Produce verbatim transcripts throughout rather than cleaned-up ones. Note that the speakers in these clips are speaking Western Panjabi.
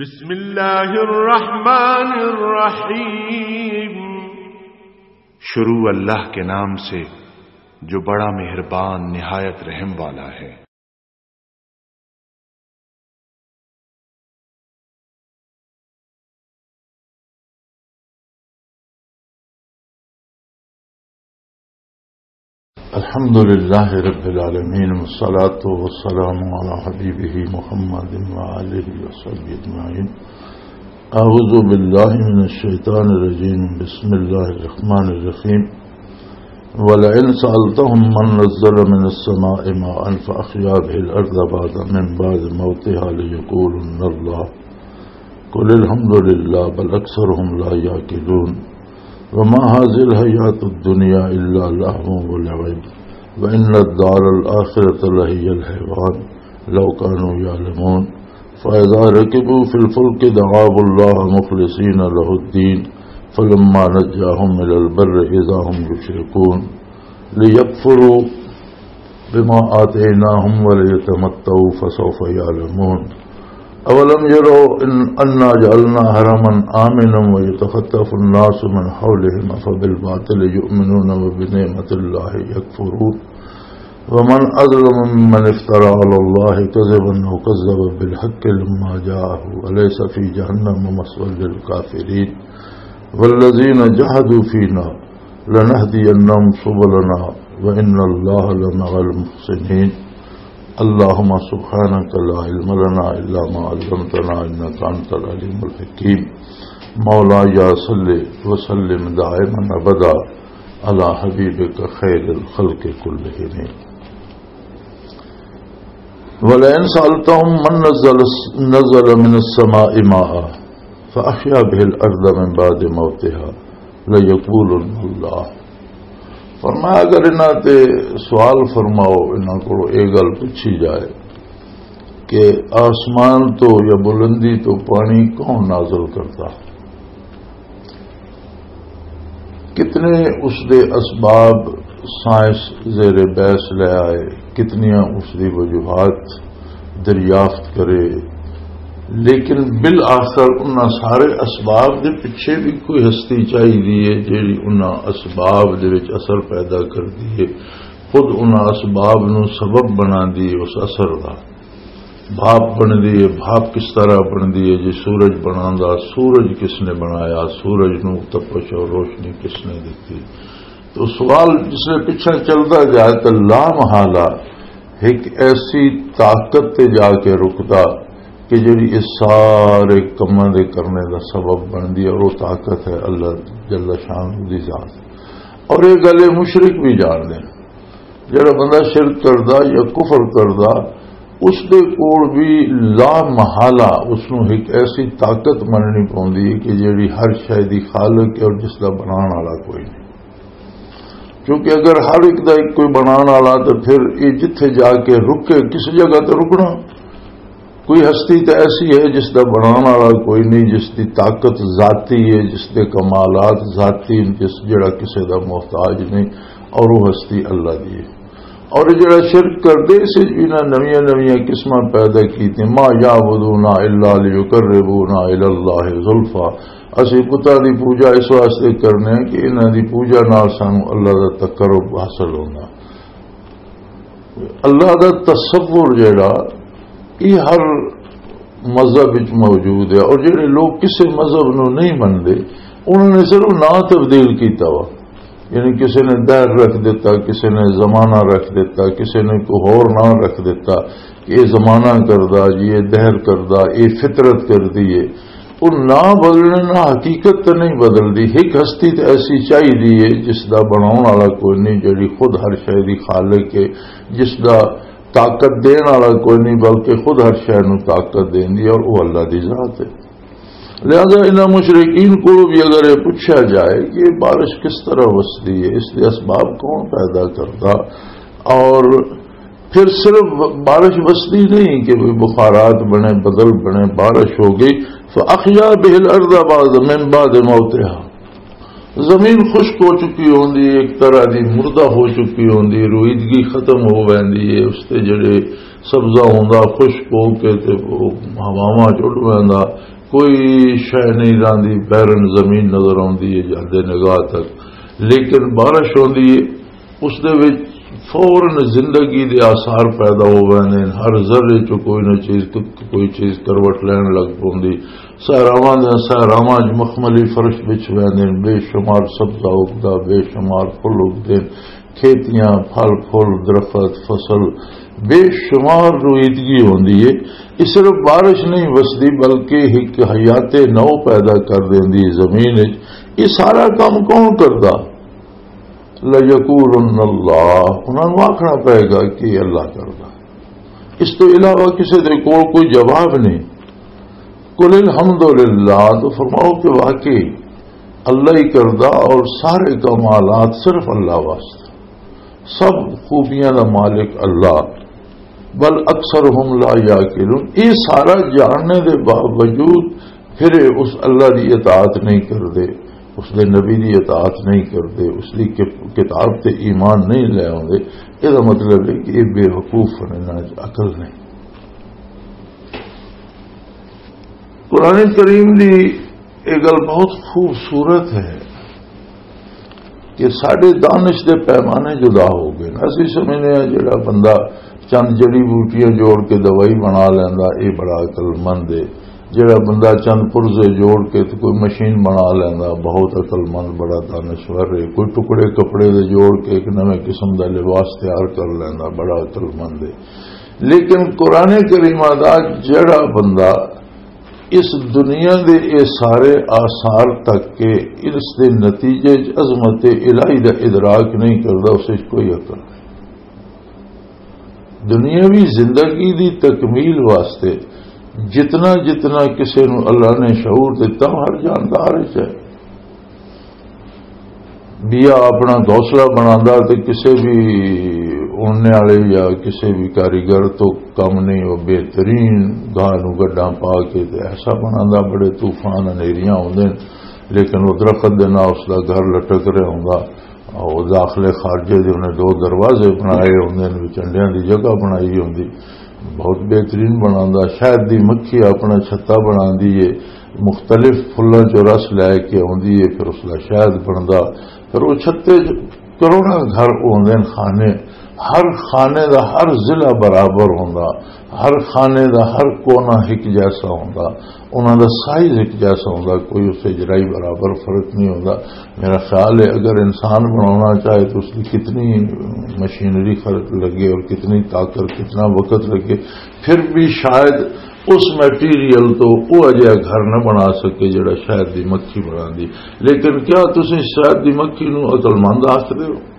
بسم اللہ الرحمن الرحیم۔ شروع اللہ کے نام سے جو بڑا مہربان نہایت رحم والا ہے۔ الحمد لله رب العالمين، والصلاة والسلام على حبيبه محمد وآله وصحبه أجمعين. أعوذ بالله من الشيطان الرجيم. بسم الله الرحمن الرحيم. ولئن سألتهم من نزل من السماء ماء فأحيا به الأرض بعد، من بعد موتها ليقولن الله، قل الحمد لله بل أكثرهم لا يعقلون. وما هذه الحياة الدنيا إلا لهو ولعب، وإن الدار الآخرة لهي الحيوان، لو كانوا يعلمون. فإذا ركبوا في الفلك دعوا الله مخلصين له الدين، فلما نجاهم إلى البر إذا هم يشركون. ليكفروا بما آتيناهم وليتمتعوا فسوف يعلمون. أولم يروا إن، أنا جعلنا حرما آمنا ويتخطف الناس من حولهم أفبالباطل يؤمنون وبنعمة الله يكفرون. ومن أظلم ممن افترى على الله كذبا أو كذب بالحق لما جاءه أليس في جهنم مثوى للكافرين. والذين جاهدوا فينا لنهدينهم سبلنا وإن الله لمع المحسنين. اللهم سبحانك لا علم لنا إلا ما علمتنا إنك أنت العليم الحكيم. مولاي صل وسلم دائما أبدا على حبيبك خير الخلق كلهم. ولئن سألتهم من نزل، نزل من السماء ماء فأحيا به الأرض من بعد موتها ليقولن الله. فرمایا، اگر انہاں تے سوال فرماؤ، انہاں کو یہ گل پوچھی جائے کہ آسمان تو یا بلندی تو پانی کون نازل کرتا؟ کتنے اس دے اسباب سائنس زیر بحث لے آئے، کتنیاں اس دی وجوہات دریافت کرے، لیکن بالآخر انہاں سارے اسباب دے پیچھے بھی کوئی ہستی چاہیدی ہے، جیڑی انہاں اسباب دے وچ اثر پیدا کردی ہے، خود انہاں اسباب نوں سبب بناندی ہے اس اثر دا۔ بھاپ بندی ہے، بھاپ کس طرح بندی ہے؟ جی سورج بناندا، سورج کس نے بنایا؟ سورج نوں تپش اور روشنی کس نے دتی؟ تو سوال جس نے پچھا چلدا جائے تو لا محالہ ایک ایسی طاقت تے جا کے رکدا کہ جڑی اس سارے کماں دے کرنے دا سبب بندی ہے، اور وہ طاقت ہے اللہ جل شانہ دی ذات۔ اور یہ گل مشرک بھی جان دے، جڑا بندہ شرک کردا یا کفر کردا، اس دے کول بھی لا محالہ اس نوں ایک ایسی طاقت مننی پوندی ہے کہ جڑی ہر شے دی خالق ہے اور جس دا بنان والا کوئی نہیں۔ کیونکہ اگر ہر ایک دا ایک کوئی بنان والا، تو پھر یہ جتھے جا کے رکے، کسی جگہ تے رکنا۔ کوئی ہستی تے ایسی ہے جس دا بنان والا کوئی نہیں، جس دی طاقت ذاتی ہے، جس دے کمالات ذاتی، جس، جڑا کسے دا محتاج نہیں، اور وہ ہستی اللہ دی ہے۔ اور یہ جڑا شرک کردے، اس وچ بھی انہاں نویاں نویاں قسماں پیدا کیتیاں، ما یعبدون الا لیقربونا الی اللہ زلفا، اسی بتاں دی پوجا اس واسطے کرنے ہیں کہ انہاں دی پوجا نال سانو اللہ دا تقرب حاصل ہونا۔ اللہ دا تصور جڑا، یہ ہر مذہب وچ موجود ہے، اور جڑے لوگ کسے مذہب نو نہیں منتے، انہوں نے صرف نام تبدیل کیتا وا۔ یعنی کسے نے دہر رکھ دیتا، کسے نے زمانہ رکھ دیتا، کسے نے کوئی ہور نام رکھ دیتا کہ یہ زمانہ کردا جی، یہ دہر کردا، یہ فطرت کردی ہے۔ وہ نہ بدلنے، نہ حقیقت تے نہیں بدلدی۔ ایک ہستی تے ایسی چاہیدی ہے جس دا بناون والا کوئی نہیں، جڑی خود ہر شے دی خالق ہے، جس دا طاقت دین والا کوئی نہیں، بلکہ خود ہر شے نوں طاقت دیندی ہے، اور وہ اللہ دی ذات ہے۔ لہذا انہاں مشرکین کو بھی اگر یہ پوچھا جائے کہ یہ بارش کس طرح وسدی ہے، اس دے اسباب کون پیدا کردا، اور پھر صرف بارش وسدی نہیں کہ بھئی بخارات بنے، بدل بنے، بارش ہو گئی، فَأَحْيَا بِهِ الْأَرْضَ بَعْدَ، مِنْ بَعْدِ مَوْتِهَا، زمین خشک ہو چکی ہوندی ہے، ایک طرح دی مردہ ہو چکی ہوندی ہے، روئیدگی ختم ہو ویندی ہے، اس تے جڑے سبزہ ہوندا خشک ہو کے تے او ہواواں چ اڈ ویندا، کوئی شے نہیں راندی، بیرن زمین نظر آندی ہے جاندے نگاہ تک۔ لیکن بارش ہوندی ہے، اس دے وچ فوراً زندگی دے آثار پیدا ہو ویندے نے۔ ہر ذرے چ کوئی نہ چیز، کوئی چیز کروٹ لین لگ پوندی۔ صحراواں دے صحراواں چ مخملی فرش بچ ویندے نے، بے شمار سبزہ اگدا، بے شمار پھل اگدے نے، کھیتیاں، پھل پھل، درخت، فصل، بے شمار رویدگی ہوندی ہے۔ یہ صرف بارش نہیں وسدی، بلکہ ایک حیات نو پیدا کر دیندی زمین وچ۔ یہ سارا کام کون کردا؟ لَيَقُولُنَّ اللَّهُ، انہاں نوں آکھنا پئے گا کہ اللہ کردا۔ اس تو علاوہ کسی دے کول کوئی جواب نہیں۔ قُلِ الْحَمْدُ لِلَّهِ، تو فرماؤ کہ واقعی اللہ ہی کردا اور سارے کمالات صرف اللہ واسطے، سب خوبیاں دا مالک اللہ۔ بل اکثرہم لا یعقلون، یہ سارا جاننے دے باوجود پھر یہ اس اللہ دی اطاعت نہیں کردے، اس دے نبی دی اطاعت نہیں کردے، اس دی کت-، کتاب تے ایمان نہیں لے آوندے۔ یہ دا مطلب ہے کہ یہ بے وقوف نے، انہاں وچ عقل نہیں۔ قرآن کریم دی یہ گل بہت خوبصورت ہے کہ ساڈے دانش دے پیمانے جدا ہو گئے۔ اسی سمجھنے ہیں جڑا بندہ چند جڑی بوٹیاں جوڑ کے دوائی بنا لیندا، یہ بڑا عقل مند ہے۔ جڑا بندہ چند پرزے جوڑ کے تے کوئی مشین بنا لیندا، بہت عقل مند، بڑا دانشور ہے۔ کوئی ٹکڑے کپڑے دے جوڑ کے ایک نویں قسم دا لباس تیار کر لیندا، بڑا عقل مند ہے۔ لیکن قرآن کریمہ دا جڑا بندہ اس دنیا دے اے سارے آثار تک کے اس دے نتیجے چ عظمت الہی دا ادراک نہیں کردا، اس وچ کوئی عقل نہیں۔ دنیاوی زندگی دی تکمیل واسطے جتنا جتنا کسے نوں اللہ نے شعور دتا، ہر جاندار وچ ہے۔ بیا اپنا گھونسلہ بناندا تے کسے بھی اڑنے والے یا کسے بھی کاریگر تو کم نہیں، وہ بہترین گاہ نوں گڈاں پا کے تے ایسا بناندا، بڑے طوفان انہیریاں ہوندے نے، لیکن وہ درخت دے نال اس دا گھر لٹک رہا ہوندا۔ وہ داخلے خارجے دے انہیں دو دروازے بنائے ہوندے نے، وچ انڈیاں دی جگہ بنائی ہوندی، بہت بہترین بناندا۔ شہد دی مکھی اپنا چھتا بناندی ہے، مختلف پھلاں چوں رس لے کے آندی ہے، پھر اس دا شہد بندا۔ پھر وہ چھتے چ کروڑاں گھر ہوندے نے، خانے، ہر خانے دا ہر ضلع برابر ہوندا، ہر خانے دا ہر کونا ایک جیسا ہوندا، انہاں دا سائز ایک جیسا ہوندا، کوئی اس سے ذرائی برابر فرق نہیں ہوندا۔ میرا خیال ہے اگر انسان بنانا چاہے تو اس کی کتنی مشینری خرچ لگے اور کتنی طاقت، کتنا وقت لگے، پھر بھی شاید اس میٹیریل تو وہ اجہا گھر نہ بنا سکے جڑا شہد دی مکھی بنا دی۔ لیکن کیا تسی شہد دی مکھی نو عقل مند آخدے ہو؟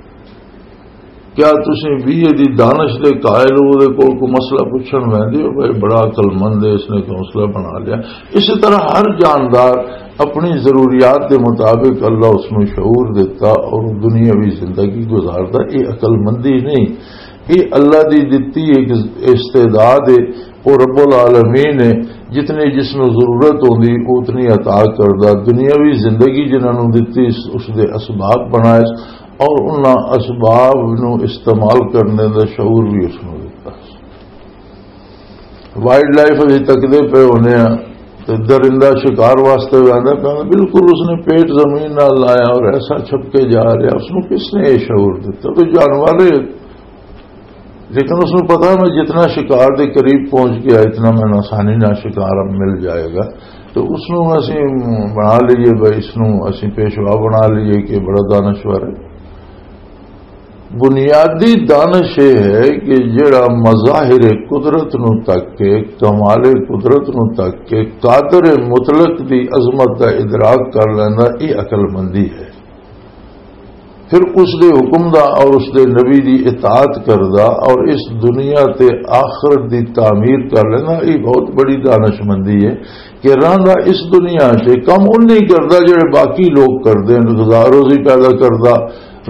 کیا تسی وی دی دانش دے قائل ہو، دے کول کوئی مسئلہ پوچھن ویندے ہو، بھائی بڑا عقل مند ہے، اس نے تو مسئلہ بنا لیا؟ اسی طرح ہر جاندار اپنی ضروریات دے مطابق اللہ اس نو شعور دیتا اور دنیاوی زندگی گزاردا۔ یہ عقل مندی نہیں، یہ اللہ دی دتی ایک استعداد ہے۔ وہ رب العالمین ہے، جتنی جس نو ضرورت ہوندی اتنی عطا کردا۔ دنیاوی زندگی جنہاں نو دتی، اس، اس دے اسباب بنائے اور انہاں اسباب نو استعمال کرنے دا شعور بھی اس نو دتا۔ وائلڈ لائف ابھی تکدے پہ ہونے ہیں، تے درندہ شکار واسطے ویندا پیا، بالکل اس نے پیٹ زمین نال لایا اور ایسا چھپ کے جا رہا، اس نو کس نے یہ شعور دتا؟ تو جانور ہے، لیکن اس نو پتا میں جتنا شکار دے قریب پہنچ گیا، اتنا میں آسانی نال شکار اب مل جائے گا۔ تو اس نو اسی بنا لئیے، بھائی اس نو اسی پیشوا بنا لئیے کہ بڑا دانشور ہے۔ بنیادی دانش یہ ہے کہ جڑا مظاہر قدرت نو تک کے، کمال قدرت نو تک کے، قادر مطلق دی عظمت دا ادراک کر لینا، یہ عقل مندی ہے۔ پھر اس دے حکم دا اور اس دے نبی دی اطاعت کردا اور اس دنیا تے آخرت دی تعمیر کر لینا، یہ بہت بڑی دانش مندی ہے۔ کہ رہندا اس دنیا تے کم اُن نہیں کردا جڑے باقی لوگ کردے نے، غذا روزی پیدا کردا،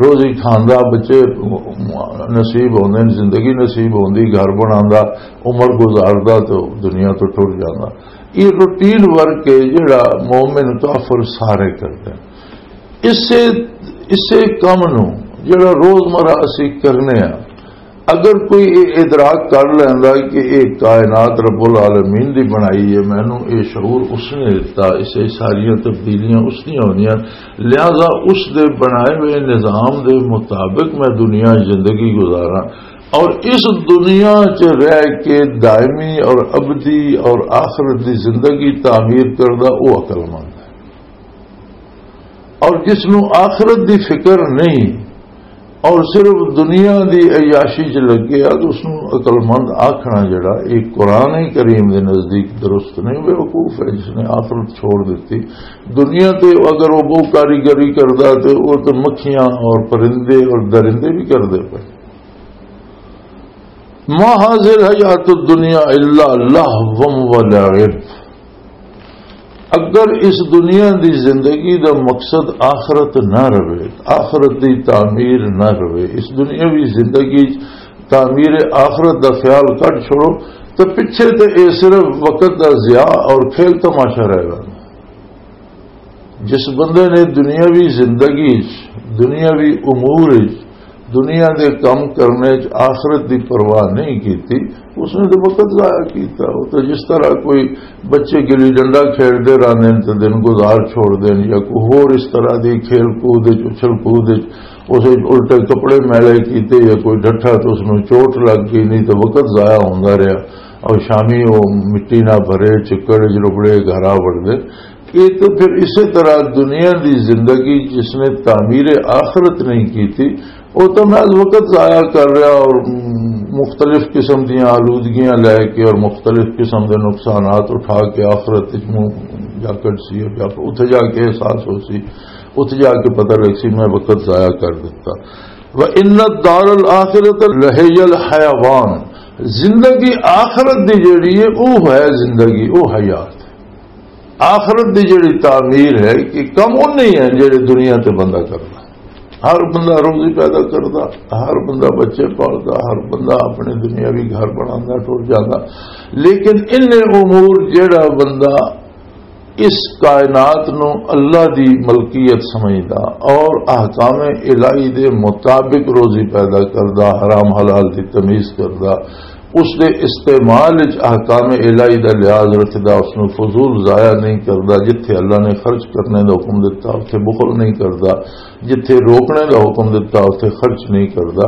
روزی کھاندا، بچے نصیب ہوندے نے، زندگی نصیب ہوندی، گھر بناندا، عمر گزاردا تے دنیا تو ٹر جاندا۔ یہ روٹین ورک ہے جڑا مومن کافر سارے کردے نے۔ اسے اسے کم نو جڑا روزمرہ اسی کرنے ہاں، اگر کوئی یہ ادراک کر لیندا کہ یہ کائنات رب العالمین دی بنائی ہے، مینوں یہ شعور اس نے دتا، اسے ساریاں تبدیلیاں اس دیاں ہونیاں، لہذا اس دے بنائے ہوئے نظام دے مطابق میں دنیا زندگی گزاراں، اور اس دنیا چ رہ کے دائمی اور ابدی اور آخرت دی زندگی تعمیر کردا، وہ عقل مند ہے۔ اور جس نوں آخرت دی فکر نہیں اور صرف دنیا دی عیاشی چ لگے آ، تو اس نوں عقل مند آکھنا جڑا، یہ قرآن کریم دے نزدیک درست نہیں، بے وقوف ہے جس نے آخرت چھوڑ دیتی۔ دنیا تے اگر وہ بہت کاریگری کردا، تو وہ تو مکھیاں اور پرندے اور درندے بھی کردے پے۔ ما هذه الحیات الدنیا الا لهو و لعب۔ اگر اس دنیا دی زندگی دا مقصد آخرت نہ رہے، آخرت دی تعمیر نہ رہے، اس دنیاوی زندگی تعمیر آخرت دا خیال کٹ چھوڑو، تو پچھے تے اے صرف وقت دا ضیاع اور کھیل تماشا رہ گا۔ جس بندے نے دنیاوی زندگی چ، دنیاوی امور چ، دنیا دے کم کرنے چ آخرت دی پرواہ نہیں کیتی، اس نے تو وقت ضائع کیتا۔ وہ تو جس طرح کوئی بچے گلی ڈنڈا کھیڈدے رہندے نے تے دن گزار چھوڑ دین، یا کوئی ہور اس طرح دی کھیل کود وچ، اچھل کود وچ، اسے الٹے کپڑے میلے کیتے یا کوئی ڈٹھا تو اس نوں چوٹ لگ گئی، نہیں تو وقت ضائع ہوندا رہیا۔ اور شامی وہ مٹی نہ بھرے، چکڑ وچ ربڑے، گھر آ وڑدے۔ یہ تو پھر اسی طرح دنیا دی زندگی جس نے تعمیر آخرت نہیں کی تھی، وہ تو محض وقت ضائع کر رہا اور مختلف قسم دیاں آلودگیاں لے کے اور مختلف قسم دے نقصانات اٹھا کے آخرت وچ منہ جا کر سی، اتھے جا کے احساس ہو سی، اتھے جا کے پتہ لگ سی میں وقت ضائع کر دیتا۔ وَإِنَّ الدَّارَ الْآخِرَةَ لَهِيَ الْحَيَوَانُ۔ زندگی آخرت دی جڑی ہے، وہ ہے زندگی، وہ حیات۔ آخرت دی جڑی تعمیر ہے کہ کم اُن نہیں ہے جڑے دنیا تے بندہ کردا۔ ہر بندہ روزی پیدا کردا، ہر بندہ بچے پالدا، ہر بندہ اپنے دنیاوی گھر بناندا، ٹر جاندا۔ لیکن ان امور جڑا بندہ اس کائنات نو اللہ دی ملکیت سمجھدا اور احکام الہی دے مطابق روزی پیدا کردا، حرام حلال دی تمیز کردا، اس دے استعمال وچ احکام الہی دا لحاظ رکھدا، اس نو فضول ضائع نہیں کردا، جتھے اللہ نے خرچ کرنے دا حکم دتا اتھے بخل نہیں کردا، جتھے روکنے دا حکم دتا اتھے خرچ نہیں کردا،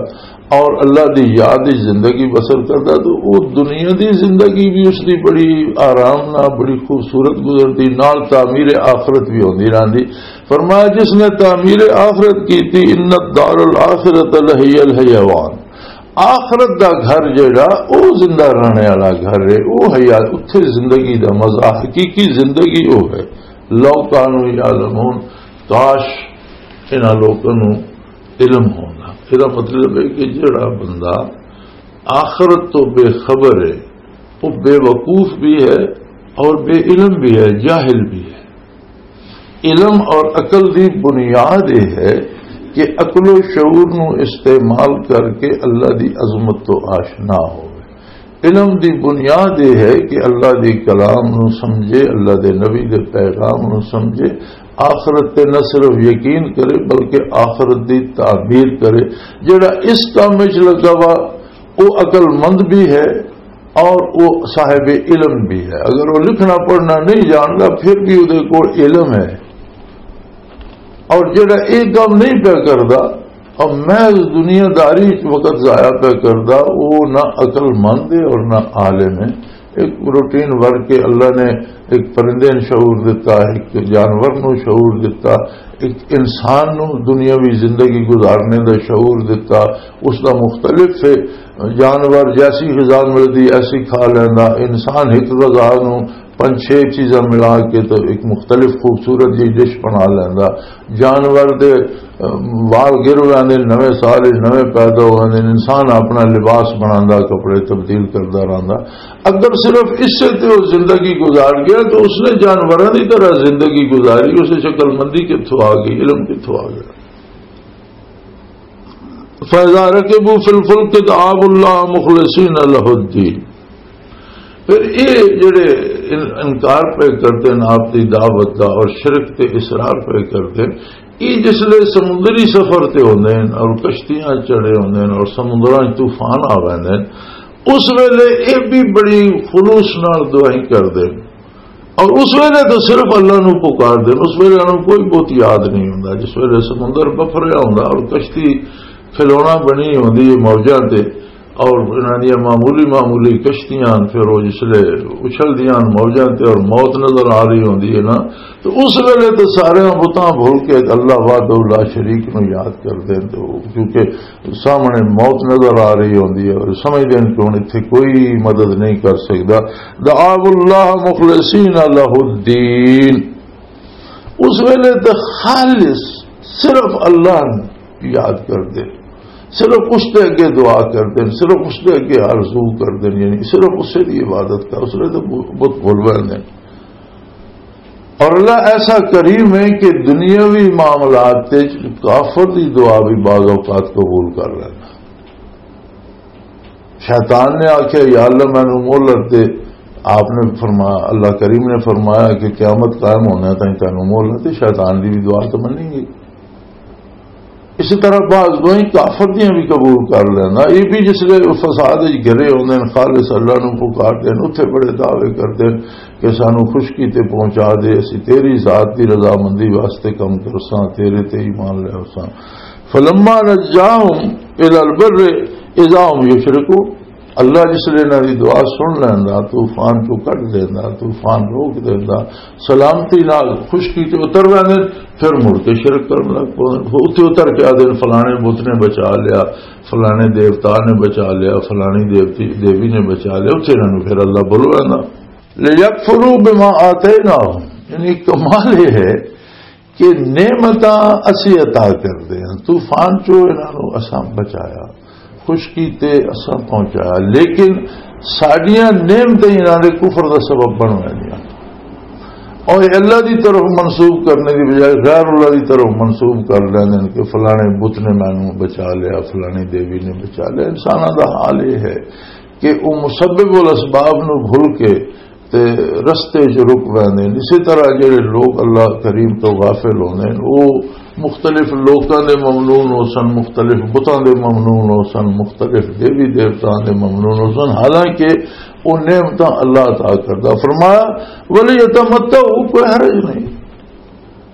اور اللہ دی یاد وچ زندگی بسر کردا، تو او دنیا دی زندگی بھی اس دی بڑی آرام نال، بڑی خوبصورت گزردی، نال تعمیر آخرت بھی ہوندی رہندی۔ فرمایا، جس نے تعمیر آخرت کیتی، ان الدار الآخرۃ لہی الحیوان، آخرت دا گھر جڑا، او زندہ رہنے والا گھر ہے، او حیات، اتھے زندگی دا مزہ، حقیقی زندگی او ہے۔ لو کانوا یعلمون، کاش انہاں لوکاں نوں علم ہونا۔ یہ مطلب ہے کہ جڑا بندہ آخرت تو بے خبر ہے، وہ بے وقوف بھی ہے اور بے علم بھی ہے، جاہل بھی ہے۔ علم اور عقل دی بنیاد یہ ہے کہ عقل و شعور نو استعمال کر کے اللہ دی عظمت تو آشنا ہوئے۔ علم دی بنیاد یہ ہے کہ اللہ دی کلام نو سمجھے، اللہ دے نبی دے پیغام نو سمجھے، آخرت تے نہ صرف یقین کرے بلکہ آخرت دی تعمیر کرے۔ جڑا اس کام وچ لگا وا، وہ عقل مند بھی ہے اور وہ صاحب علم بھی ہے۔ اگر وہ لکھنا پڑھنا نہیں جانتا پھر بھی وہ کول علم ہے، اور جڑا یہ کام نہیں پیا کردا اور محض دنیا داری وچ وقت ضائع پیا کردا، وہ نہ عقل مند ہے اور نہ عالم ہے۔ ایک روٹین ورک کے اللہ نے ایک پرندے نوں شعور دتا، ایک جانور نوں شعور دتا، ایک انسان نوں دنیاوی زندگی گزارنے دا شعور دتا۔ اس دا مختلف ہے، جانور جیسی غذا ملدی ایسی کھا لیندا، انسان ایک غذا نوں پنج چھ چیزاں ملا کے تو ایک مختلف خوبصورت جی ڈش بنا لیندا۔ جانور دے، ام، وال گر ویندے، نویں سال وچ نویں پیدا ہو ویندے، انسان اپنا لباس بناندا، کپڑے تبدیل کردا رہندا۔ اگر صرف اسے تے وہ زندگی گزار گیا تو اس نے جانوراں دی طرح زندگی گزاری، اسے شکل مندی کتھوں آ گئی، علم کتھوں آ گیا؟ فَإِذَا رَكِبُوا فِي الْفُلْكِ دَعَوُا اللَّهَ مُخْلِصِينَ لَهُ الدِّينَ۔ پھر یہ جڑے ان-، انکار پہ کردے نے آپ دی دعوت دا اور شرک تے اصرار پہ کردے نے۔ یہ جس لے سمندری سفر تے ہوندے نے اور کشتیاں چڑھے ہوندے نے اور سمندراں وچ طوفان آ ویندے نے، اس ویلے یہ بھی بڑی خلوص نال دعائیں کردے نے۔ اور اس ویلے تو صرف اللہ نو پکار دے، اس ویلے انہوں کوئی بہت یاد نہیں ہوندا۔ جس ویلے سمندر بفریا ہوندا اور کشتی کھلونا بنی ہوندی ہے موجاں تے، اور انہاں دیاں معمولی معمولی کشتیاں، پھر وہ جس لے اچھلدیاں موجاں تے اور موت نظر آ رہی ہوندی ہے نا، تو اس ویلے تو سارے بتاں بھول کے اللہ وحدہ لا شریک نو یاد کر دین۔ تو کیونکہ سامنے موت نظر آ رہی ہوندی ہے اور سمجھدے نے کہ ہن اتھے کوئی مدد نہیں کر سکدا۔ دعا اللہ مخلصین لہ الدین، اس ویلے تے خالص صرف اللہ نوں یاد کردے، صرف اس دے اگے دعا کردے، صرف اس دے اگے آرزو کردے، یعنی صرف اسے دی عبادت کر، اس ویلے تے بت بھول ویندے۔ اور اللہ ایسا کریم ہے کہ دنیاوی معاملات تے کافر دی دعا بھی بعض اوقات قبول کر لینا۔ شیطان نے آکھیا، "یا اللہ، مینوں مہلت دے۔" آپ نے فرمایا، اللہ کریم نے فرمایا کہ قیامت قائم ہونے تائیں تینوں مہلت ہے، شیطان دی بھی دعا تو منی گئی۔ اسی طرح بعض دوائیں کافر دیاں بھی قبول کر لینا۔ یہ بھی جس لے فساد وچ گرے ہوندے نے، خالص اللہ نوں پکار دے نے، اتھے بڑے دعوے کردے نے کہ سانو خشکی تے پہنچا دے، اسی تیری ذات دی رضامندی واسطے کم کرساں، تیرے تے ایمان لے اساں۔ فلما نجاہم الی البر اذا هم یشرکون۔ اللہ جس لے انہاں دی دعا سن لیندا، طوفان چوں کڈ دیندا، طوفان روک دیندا، سلامتی نال خشکی تے اتر ویندے، پھر مڑ کے شرک کرن لگ پوندے۔ اتھے اتر کے آدھے، "فلانے بت نے بچا لیا، فلانے دیوتا نے بچا لیا، فلانی دیوتی، دیوی نے بچا لیا"، اتھے انہاں نوں پھر اللہ بھل ویندا۔ "لیکفروا بما آتیناہم"، یعنی کمال یہ ہے کہ نعمتاں اسی عطا کردے ہیں، طوفان چوں انہاں نوں اساں بچایا، خشکی تے اساں پہنچایا، لیکن ساڈیاں نعمتیں انہاں دے کفر دا سبب بن ویندیاں۔ اور اللہ دی طرف منسوب کرنے دی بجائے غیر اللہ دی طرف منسوب کر لیندے نے کہ فلانے بت نے مینوں بچا لیا، فلانی دیوی نے بچا لیا۔ انساناں دا حال یہ ہے کہ وہ مسبب الاسباب نو بھول کے تے رستے چ رک ویندے نے۔ اسی طرح جڑے لوگ اللہ کریم تو غافل ہوندے نے، وہ مختلف لوکاں دے ممنون ہو سن، مختلف بتاں دے ممنون ہو سن، مختلف دیوی دیوتاں دے ممنون ہو سن، حالانکہ وہ نعمتاں اللہ عطا کردا۔ فرمایا، "وَلِيَتَمَتَّعُوا"، کوئی حرج نہیں۔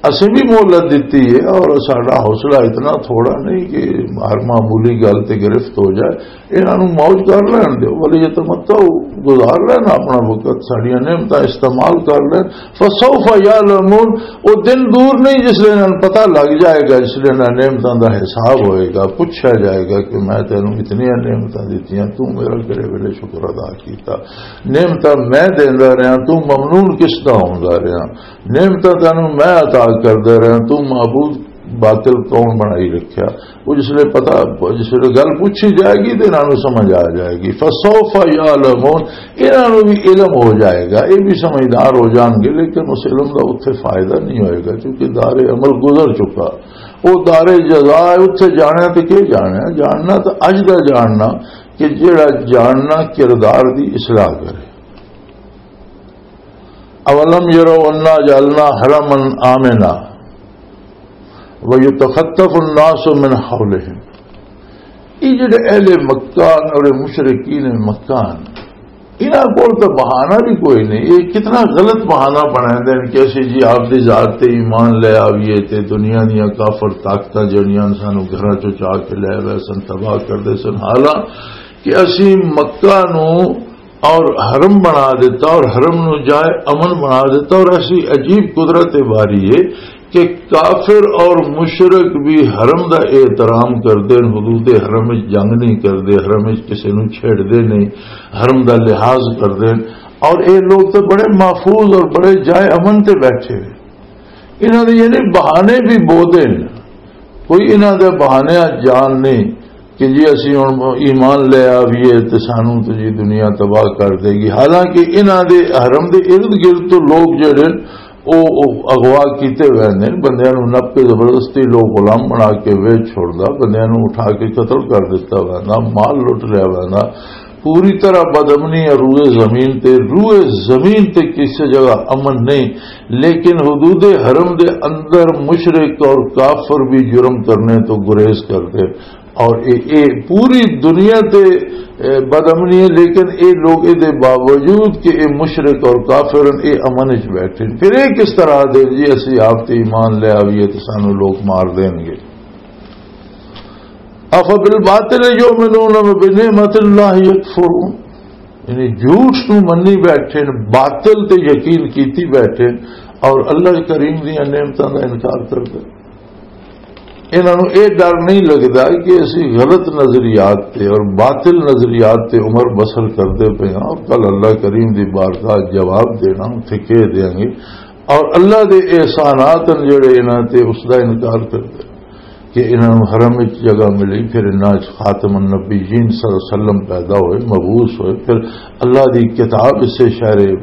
اسیں بھی مہلت دتی ہے اور ساڈا حوصلہ اتنا تھوڑا نہیں کہ ہر معمولی گل تے گرفت ہو جائے۔ انہاں نوں موج کر لین دیو، وَلِيَتَمَتَّعُوا، گزار لین اپنا وقت، ساڈیاں نعمتاں استعمال کر لین۔ فَسَوْفَ يَعْلَمُونَ، وہ دن دور نہیں جس لے انہاں نوں پتہ لگ جائے گا، جس لے انہاں نعمتاں دا حساب ہوئے گا، پوچھا جائے گا کہ میں تینوں اتنیاں نعمتاں دتیاں، تو میرا کہڑے ویلے شکر ادا کیتا؟ نعمتاں میں دیندا رہیا، تو ممنون کس دا ہوندا رہیا؟ نعمتاں تینوں میں عطا کردا رہیا، تو معبود باطل کون بنائی رکھیا؟ وہ جس لے پتہ، جس لے گل پوچھی جائے گی تے انہاں نوں سمجھ آ جائے گی۔ فَسَوْفَ يَعْلَمُونَ، انہاں نوں بھی علم ہو جائے گا، یہ بھی سمجھدار ہو جان گے، لیکن اس علم دا اتھے فائدہ نہیں ہوئے گا، کیونکہ دار عمل گزر چکا۔ وہ دار جزا ہے، اتھے جانا تے کی جانا ہے؟ جاننا تو اج دا جاننا کہ جڑا جاننا کردار دی اصلاح کرے۔ اولم یروا انا جعلنا حرما آمنا ویتخطف الناس من حولہم۔ یہ جڑے اہل مکہ اور مشرکین مکہ ہیں، انہاں کول تو بہانہ بھی کوئی نہیں۔ یہ کتنا غلط بہانہ بنا دین کہ اسی جی آپ دی ذات تے ایمان لے آویے تے دنیا دیاں کافر طاقتاں جڑیاں سانو گھراں چوں چا کے لے وے سن، تباہ کر دے سن۔ حالانکہ اسی مکہ نو اور حرم بنا دیتا اور حرم نو جائے امن بنا دیتا، اور ایسی عجیب قدرت باری ہے کہ کافر اور مشرک بھی حرم دا احترام کردے نے، حدود حرم وچ جنگ نہیں کردے، حرم وچ کسے نو چھیڑدے نہیں، حرم دا لحاظ کردے نے۔ اور اے لوگ تے بڑے محفوظ اور بڑے جائے امن تے بیٹھے ہوئے۔ انہاں دے یعنی بہانے بھی بہت ہیں، کوئی انہاں دے بہانے جان نہیں کہ جی اسی ہن ایمان لے آویے تے سانو تے جی دنیا تباہ کر دے گی۔ حالانکہ انہاں دے حرم دے ارد گرد تو لوگ جڑے او، او اغوا کیتے ہوئے نے، بندیاں نوں نپ کے زبردستی لوگ غلام بنا کے ویچ چھوڑدا، بندیاں نوں اٹھا کے قتل کر دتا ہوا نا، مال لٹ لیا ہوا نا۔ پوری طرح بدامنی ہے روئے زمین تے، روئے زمین تے کسی جگہ امن نہیں، لیکن حدود حرم دے اندر مشرک اور کافر بھی جرم کرنے تو گریز کردے۔ اور اے، اے پوری دنیا تے، اے، بدامنی ہے، لیکن اے لوگ اے دے باوجود کہ اے مشرک اور کافر ہیں، اے امن وچ بیٹھے ہیں۔ پھر اے کس طرح دے جی اسی آپ تے ایمان لے آویے تے سانو لوگ مار دین گے؟ افبالباطل یؤمنون وبنعمت اللہ یکفرون۔ یعنی جھوٹ نو منی بیٹھے نے، باطل تے یقین کیتی بیٹھے نے، اور اللہ کریم دیاں نعمتاں دا انکار کردے۔ انہاں نوں اے ڈر نہیں لگدا کہ اسی غلط نظریات تے اور باطل نظریات تے عمر بسر کردے پئے ہاں، اور کل اللہ کریم دی بارگاہ جواب دینا، اتھے کہہ دیاں گے۔ اور اللہ دے احسانات ہیں جڑے انہاں تے، اس دا انکار کردے کہ انہاں نوں حرم وچ جگہ ملی، پھر انہاں وچ خاتم النبیین صلی اللہ علیہ وسلم پیدا ہوئے، مبعوث ہوئے، پھر اللہ دی کتاب اسے شہر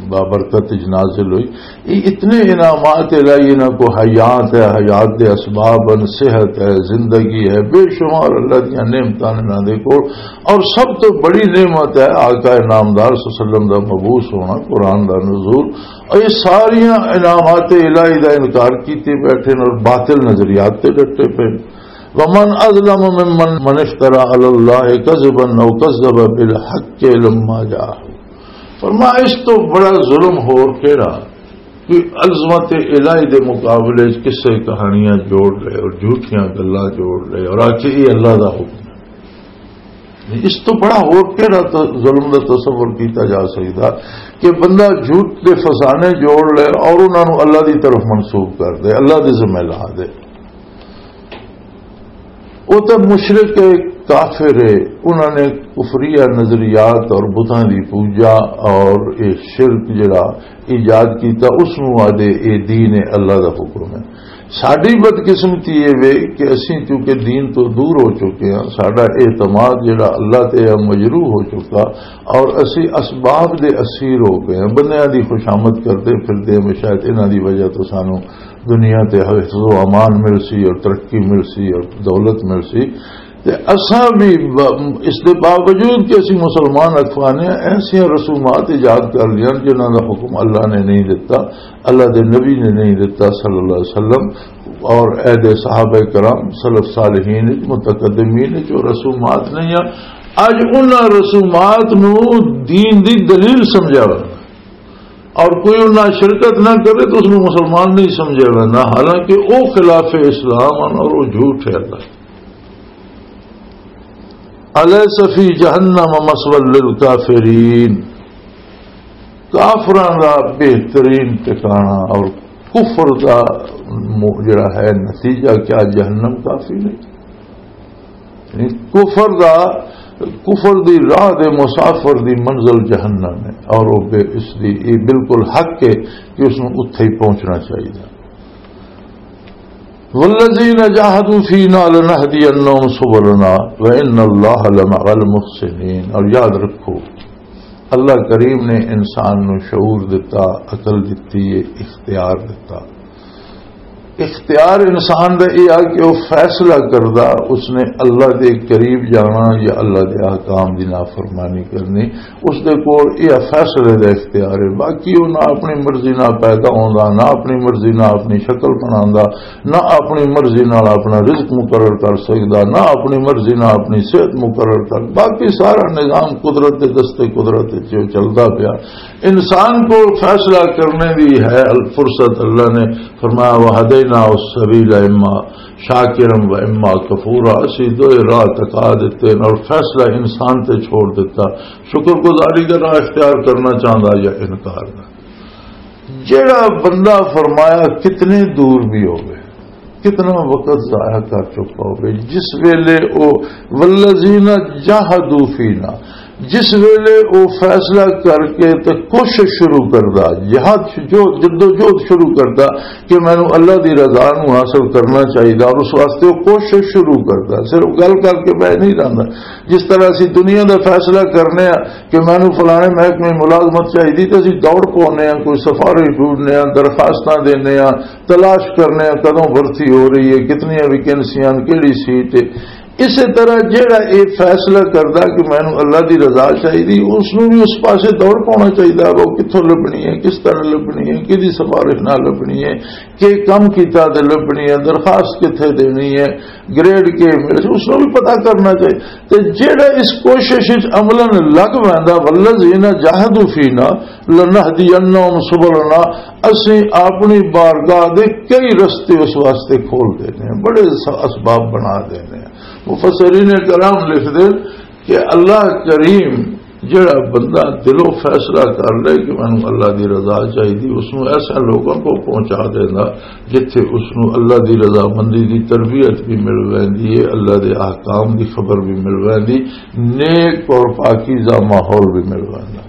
بابرکت وچ نازل ہوئی۔ یہ اتنے انعامات الہی انہاں کو حیات ہے، حیات دے اسباب ہیں، صحت ہے، زندگی ہے، بے شمار اللہ دیاں نعمتاں نے انہاں دے کول۔ اور سب تو بڑی نعمت ہے آقا نامدار صلی اللہ علیہ وسلم دا مبعوث ہونا، قرآن دا نزول۔ اور یہ ساریاں انعامات الہی دا انکار کیتے بیٹھے نے اور باطل نظریات تے ڈٹے پے۔ ومن اظلم ممن من افترى على الله كذبا او كذب بالحق لما جاءه۔ فرمایا، اس تو بڑا ظلم ہور کیڑا؟ کوئی عظمت الہی دے مقابلے وچ قصے کہانیاں جوڑ لے اور جھوٹیاں گلاں جوڑ لے اور آکھے یہ اللہ دا حکم ہے۔ اس تو بڑا ہور کیڑا ت-، ظلم دا تصور کیتا جا سکدا کہ بندہ جھوٹ دے فسانے جوڑ لے اور انہاں نوں اللہ دی طرف منسوب کر دے، اللہ دے ذمہ لا دے۔ وہ تو مشرک ہے، کافر ہے، انہوں نے کفریہ نظریات اور بتاں دی پوجا اور یہ شرک جڑا ایجاد کیتا، اس نوں آدھے اے دین ہے، اللہ دا حکم ہے۔ ساڈی بدقسمتی یہ وے کہ اسی چونکہ دین تو دور ہو چکے ہیں، ساڈا اعتماد جڑا اللہ تے ہے مجروح ہو چکا، اور اسی اسباب دے اسیر ہو گئے ہیں، بندیاں دی خوشامد کردے پھردے ہیں، شاید انہاں دی وجہ تو سانو دنیا تے حفظ و امان مل سی اور ترقی مل سی اور دولت مل سی۔ تے اساں بھی ب-، اس دے باوجود کہ اسی مسلمان اخوانے ایسیاں رسومات ایجاد کر لیاں جنہاں دا حکم اللہ نے نہیں دتا، اللہ دے نبی نے نہیں دتا صلی اللہ علیہ وسلم، اور اے دے صحابہ کرام، سلف صالحین، متقدمین جو رسومات نہیں ہیں، اج انہاں رسومات نو دین دی دلیل سمجھا وا۔ اور کوئی انہاں شرکت نہ کرے تو اس نو مسلمان نہیں سمجھا ویندا، حالانکہ او خلاف اسلام ہیں اور او جھوٹ ہے۔ اللہ، الیس فی جہنم مثوی للکافرین، کافراں دا بہترین ٹھکانہ اور کفر دا م-، جڑا ہے نتیجہ کیا، جہنم کافی نہیں؟ یعنی کفر دا، کفر دی راہ دے مسافر دی منزل جہنم ہے، اور وہ بے-، اس دی یہ بالکل حق ہے کہ اس نوں اتھے ہی پہنچنا چاہیے۔ والذین جاہدوا فینا لنہدینہم سبلنا وان اللہ لمع المحسنین۔ اور یاد رکھو، اللہ کریم نے انسان نو شعور دتا، عقل دتی ہے، اختیار دتا۔ اختیار انسان دا یہ آ کہ وہ فیصلہ کردا، اس نے اللہ دے قریب جانا یا اللہ دے احکام دی نافرمانی کرنی، اس دے کول یہ فیصلے دا اختیار ہے۔ باقی وہ نہ اپنی مرضی نہ پیدا ہوندا، نہ اپنی مرضی نہ اپنی شکل بناندا، نہ اپنی مرضی نال اپنا رزق مقرر کر سکدا، نہ اپنی مرضی نال اپنی صحت مقرر کر، باقی سارا نظام قدرت دے دستے قدرت وچ چلدا پیا۔ انسان کو فیصلہ کرنے دی ہے فرصت۔ اللہ نے فرمایا، وَهَدَيْنَاهُ السَّبِيلَ إِمَّا شَاكِرًا وَإِمَّا كَفُورًا، اسی دوئے راہ تکا دیتے ہیں اور فیصلہ انسان تے چھوڑ دیتا، شکر گزاری کا راہ اختیار کرنا چاہتا یا انکار کا۔ جڑا بندہ، فرمایا، کتنے دور بھی ہوئے، کتنا وقت ضائع کر چکا ہوئے، جس ویلے او والذین جاہدوا فینا، جس ویلے او فیصلہ کر کے تے کوشش شروع کردا، جہاد، جو جدوجہد شروع کردا کہ مینوں اللہ دی رضا نوں حاصل کرنا چاہیدا، اور اس واسطے او کوشش شروع کردا، صرف گل کر کے بہ نہیں رہندا۔ جس طرح اسی دنیا دا فیصلہ کرنے آ کہ مینوں فلانے محکمے ملازمت چاہیدی، تے اسی دوڑ پونے آ، کوئی سفارش ڈھونڈنے آ، درخواستاں دینے آ، تلاش کرنے آ کدوں بھرتی ہو رہی ہے، کتنی ویکینسیاں، کیڑی سیٹ ہے۔ اسی طرح جیڑا یہ فیصلہ کردا کہ مینوں اللہ دی رضا چاہیے، اس نوں بھی اس پاسے دوڑ پانا چاہیے، وہ کتھوں لبنی ہے، کس طرح لبنی ہے، کدی سفارش نہ لبنی ہے، کہ کم کیتا تے لبنی ہے، درخواست کتھے دینی ہے، گریڈ کے ملے، اس نوں بھی پتہ کرنا چاہیے۔ تے جیڑا اس کوشش وچ عملاً لگ ویندا، "والذین جاہدوا فینا لنہدینہم سبلنا"، اسیں اپنی بارگاہ دے کئی رستے اس واسطے کھول دینے ہیں، بڑے س-، اسباب بنا دینے ہیں۔ مفسرین کرام لکھ دے کہ اللہ کریم جڑا بندہ دلوں فیصلہ کر لے کہ مینوں اللہ دی رضا چاہیے، اس نوں ایسے لوگوں کو پہنچا دینا جتھے اس نوں اللہ دی رضامندی دی تربیت بھی مل ویندی ہے، اللہ دے احکام دی خبر بھی مل ویندی، نیک اور پاکیزہ ماحول بھی مل ویندا۔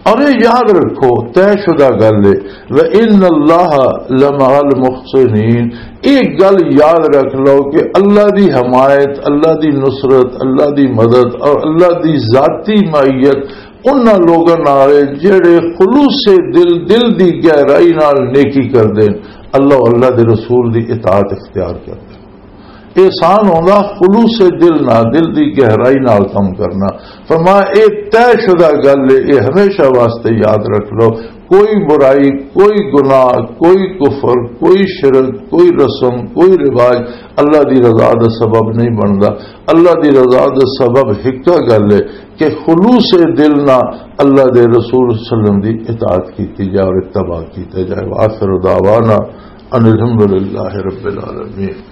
اور یہ یاد رکھو، طے شدہ گل ہے، "وَإِنَّ اللَّهَ لَمَعَ الْمُحْسِنِينَ"، ایک گل یاد رکھ لو کہ اللہ دی حمایت، اللہ دی نصرت، اللہ دی مدد اور اللہ دی ذاتی معیت انہاں لوگاں نال ہے جڑے خلوص دل، دل دی گہرائی نال نیکی کردے۔ اللہ، اللہ دے رسول دی اطاعت اختیار کردے۔ احسان ہوندا خلوص دل نال، دل دی گہرائی نال کم کرنا۔ فرمایا، اے طے شدہ گل ہے، اے ہمیشہ واسطے یاد رکھ لو۔ کوئی برائی، کوئی گناہ، کوئی کفر، کوئی شرک، کوئی رسم، کوئی رواج اللہ دی رضا دا سبب نہیں بندا۔ اللہ دی رضا دا سبب ہکا گل ہے کہ خلوص دل نال اللہ دے رسول صلی اللہ علیہ وسلم دی اطاعت کیتی جائے اور اتباع کیتے جائے۔ وآخر دعوانا ان الحمد للہ رب العالمین۔